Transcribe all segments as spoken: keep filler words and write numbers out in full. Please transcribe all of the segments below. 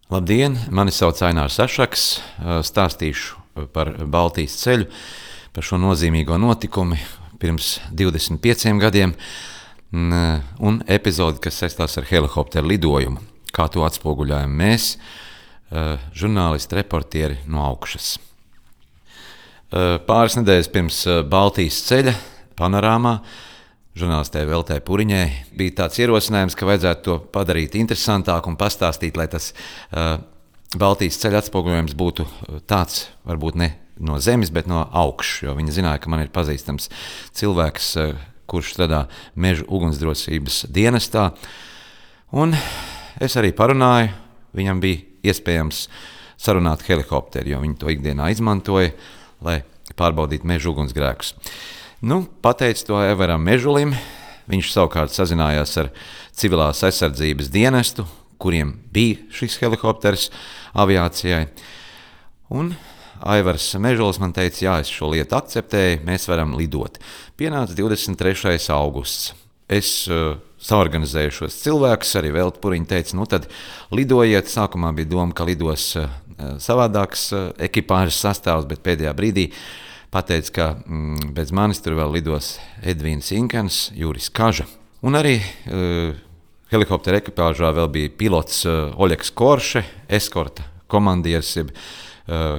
Labdien, mani sauc Ainārs Ašaks, stāstīšu par Baltijas ceļu, par šo nozīmīgo notikumu pirms divdesmit pieciem gadiem un epizodi, kas saistās ar helikopteru lidojumu, kā to atspoguļojam mēs, žurnālisti, reportieri no augšas. Pāris nedēļas pirms Baltijas ceļa panorāmā žurnālistē Veltē Puriņai bija tāds ierosinājums, ka vajadzētu to padarīt interesantāku un pastāstīt, lai tas uh, Baltijas ceļa atspoguļojums būtu tāds, varbūt ne no zemes, bet no augšas, jo viņi zināja, ka man ir pazīstams cilvēks, uh, kurš strādā mežu ugunsdrošības dienestā, un es arī parunāju, viņam bija iespējams sarunāt helikopteri, jo viņi to ikdienā izmantoja, lai pārbaudītu mežu ugunsgrēkus. Nu, pateicu to Everam Mežulim, viņš savukārt sazinājās ar civilās aizsardzības dienestu, kuriem bija šis helikopters aviācijai. Un Aivars Mežulis man teica, jā, es šo lietu akceptēju, mēs varam lidot. Pienāca divdesmit trešais augusts. Es uh, saorganizēju šos cilvēkus, arī Velta Puriņa teica, nu tad lidojiet. Sākumā bija doma, ka lidos uh, savādāks uh, ekipāžas sastāvs, bet pēdējā brīdī pateica, ka mm, bez manis tur vēl lidos Edvīns Inkens, Juris Kaža. Un arī uh, helikoptera ekipāžā vēl bija pilots uh, Oļeks Korše, eskorta komandieris, jeb uh,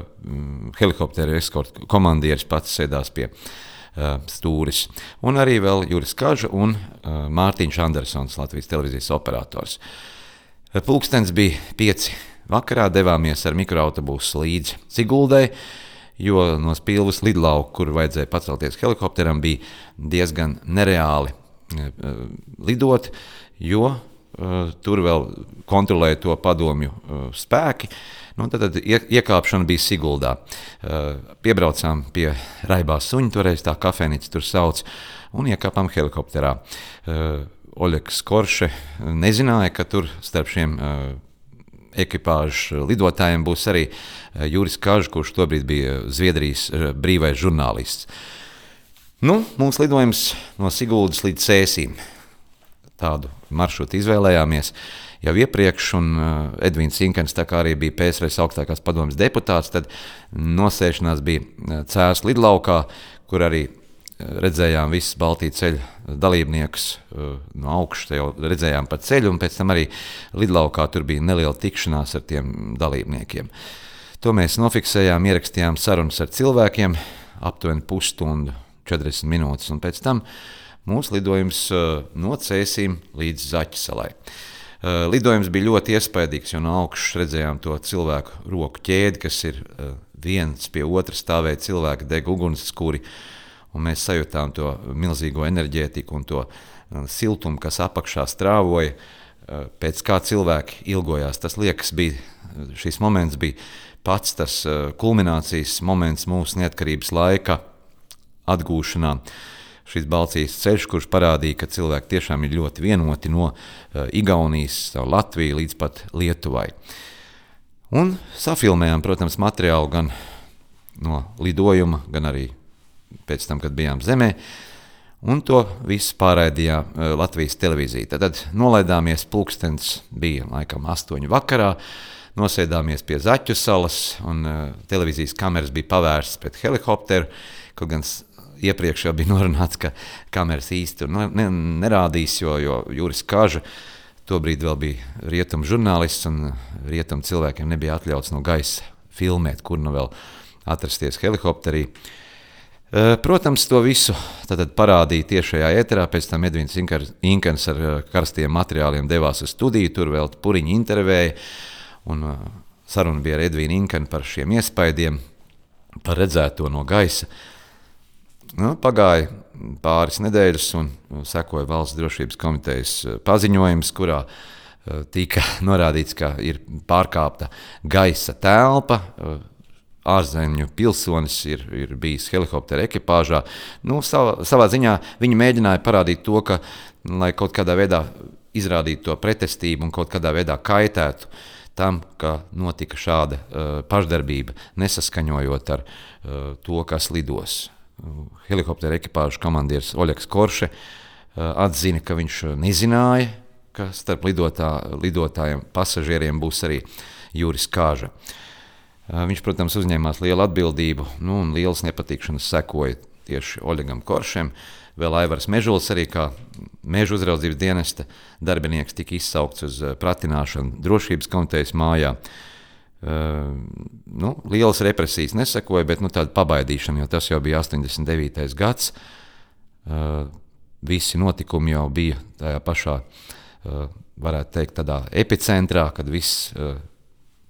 helikoptera eskorta komandieris pats sēdās pie uh, stūris. Un arī vēl Juris Kaža un uh, Mārtiņš Andersons, Latvijas televīzijas operators. Pulkstens bija pieci vakarā, devāmies ar mikroautobusu līdz Siguldai, jo no Spilves lidlauka, kur vajadzēja pacelties helikopteram, bija diezgan nereāli uh, lidot, jo uh, tur vēl kontrolēja to padomju uh, spēki. Nu, tad, tad ie, iekāpšana bija Siguldā. Uh, piebraucām pie Raibā suņa, toreiz tā kafejnīca tur sauc, un iekāpām helikopterā. Uh, Oļeks Korše nezināja, ka tur starp šiem uh, ekipāžu lidotājiem būs arī Juris Kažs, kurš tobrīd bija Zviedrijas brīvais žurnālists. Nu, mums lidojums no Siguldas līdz Cēsīm. Tādu maršrutu izvēlējāmies jau iepriekš, un Edvīns Inkens, tā kā arī bija P S R S augstākās padomes deputāts, tad nosēšanās bija Cēsu lidlaukā, kur arī redzējām visus Baltijas ceļa dalībniekus no augšas, jau redzējām pa ceļu, un pēc tam arī lidlaukā tur bija neliela tikšanās ar tiem dalībniekiem. To mēs nofiksējām, ierakstījām sarunas ar cilvēkiem, aptuveni pusstundu, četrdesmit minūtes, un pēc tam mūsu lidojums no Cēsīm līdz Zaķisalai. Lidojums bija ļoti iespaidīgs, jo no augšas redzējām to cilvēku roku ķēdi, kas ir viens pie otra stāvēja cilvēki deg ugunskuri, un mēs sajūtām to milzīgo enerģētiku un to siltumu, kas apakšā strāvoja, pēc kā cilvēki ilgojās. Tas liekas, bija, šis moments bija pats tas kulminācijas moments mūsu neatkarības laika atgūšanā. Šis Baltijas ceļš, kurš parādīja, ka cilvēki tiešām ir ļoti vienoti no Igaunijas, Latviju līdz pat Lietuvai. Un safilmējām, protams, materiālu gan no lidojuma, gan arī pēc tam, kad bijām zemē, un to visu pārraidīja Latvijas televīzija. Tad nolaidāmies, pulkstens bija laikam astoņu vakarā, nosēdāmies pie Zaķu salas, un televīzijas kameras bija pavērstas pret helikopteru, kaut gan iepriekš jau bija norunāts, ka kameras īsti tur ne, nerādīs, jo, jo Juris Kaža tobrīd vēl bija rietumu žurnālists, un rietumu cilvēkiem nebija atļauts no gaisa filmēt, kur nu vēl atrasties helikopterī. Protams, to visu tad parādīja tiešajā ēterā, pēc tam Edvīns Inkens ar karstiem materiāliem devās uz studiju, tur vēl Puriņa intervēja, un saruna bija ar Edvīnu Inkenu par šiem iespaidiem, par redzēto no gaisa. Nu, pagāja pāris nedēļas, un sekoja Valsts drošības komitejas paziņojums, kurā tika norādīts, ka ir pārkāpta gaisa telpa, ārzemju pilsonis ir, ir bijis helikoptera ekipāžā. Nu, savā, savā ziņā viņi mēģināja parādīt to, ka, lai kaut kādā veidā izrādītu to pretestību un kaut kādā veidā kaitētu tam, ka notika šāda uh, pašdarbība, nesaskaņojot ar uh, to, kas lidos. Helikoptera ekipāžu komandieris Oļeks Korše uh, atzina, ka viņš nezināja, ka starp lidotā, lidotājiem pasažieriem būs arī Juris Kāža. Viņš, protams, uzņēmās lielu atbildību, nu, un lielas nepatikšanas sekoja tieši Oļegam Koršem. Vēl Aivars Mežulis arī kā meža uzraudzības dienesta darbinieks tika izsaukts uz pratināšanu drošības komitejas mājā. Uh, nu, lielas represijas nesekoja, bet nu, tāda pabaidīšana, jo tas jau bija astoņdesmit devītais gads. Uh, visi notikumi jau bija tajā pašā, uh, varētu teikt, tādā epicentrā, kad viss uh,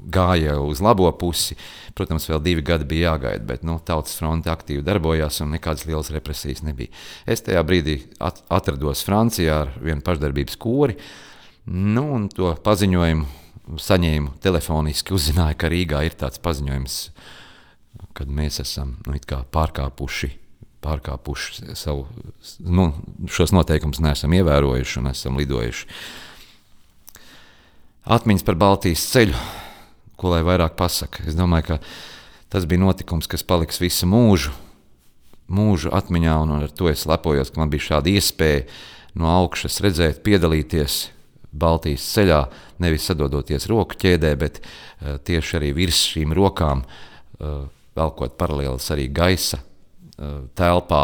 gāja uz labo pusi. Protams, vēl divi gadi bija jāgaida, bet nu, Tautas fronte aktīvi darbojās un nekādas lielas represijas nebija. Es tajā brīdī at- atrados Francijā ar vienu pašdarbības kori, nu, un to paziņojumu saņēmu telefoniski, uzzināju, ka Rīgā ir tāds paziņojums, kad mēs esam nu, it kā pārkāpuši, pārkāpuši savu, nu, šos noteikumus neesam ievērojuši un esam lidojuši. Atmiņas par Baltijas ceļu, ko lai vairāk pasaka. Es domāju, ka tas bija notikums, kas paliks visu mūžu, mūžu atmiņā, un ar to es lepojos, ka man bija šāda iespēja no augšas redzēt, piedalīties Baltijas ceļā, nevis sadodoties roku ķēdē, bet uh, tieši arī virs šīm rokām, uh, velkot paralēlis arī gaisa uh, telpā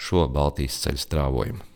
šo Baltijas ceļa strāvojumu.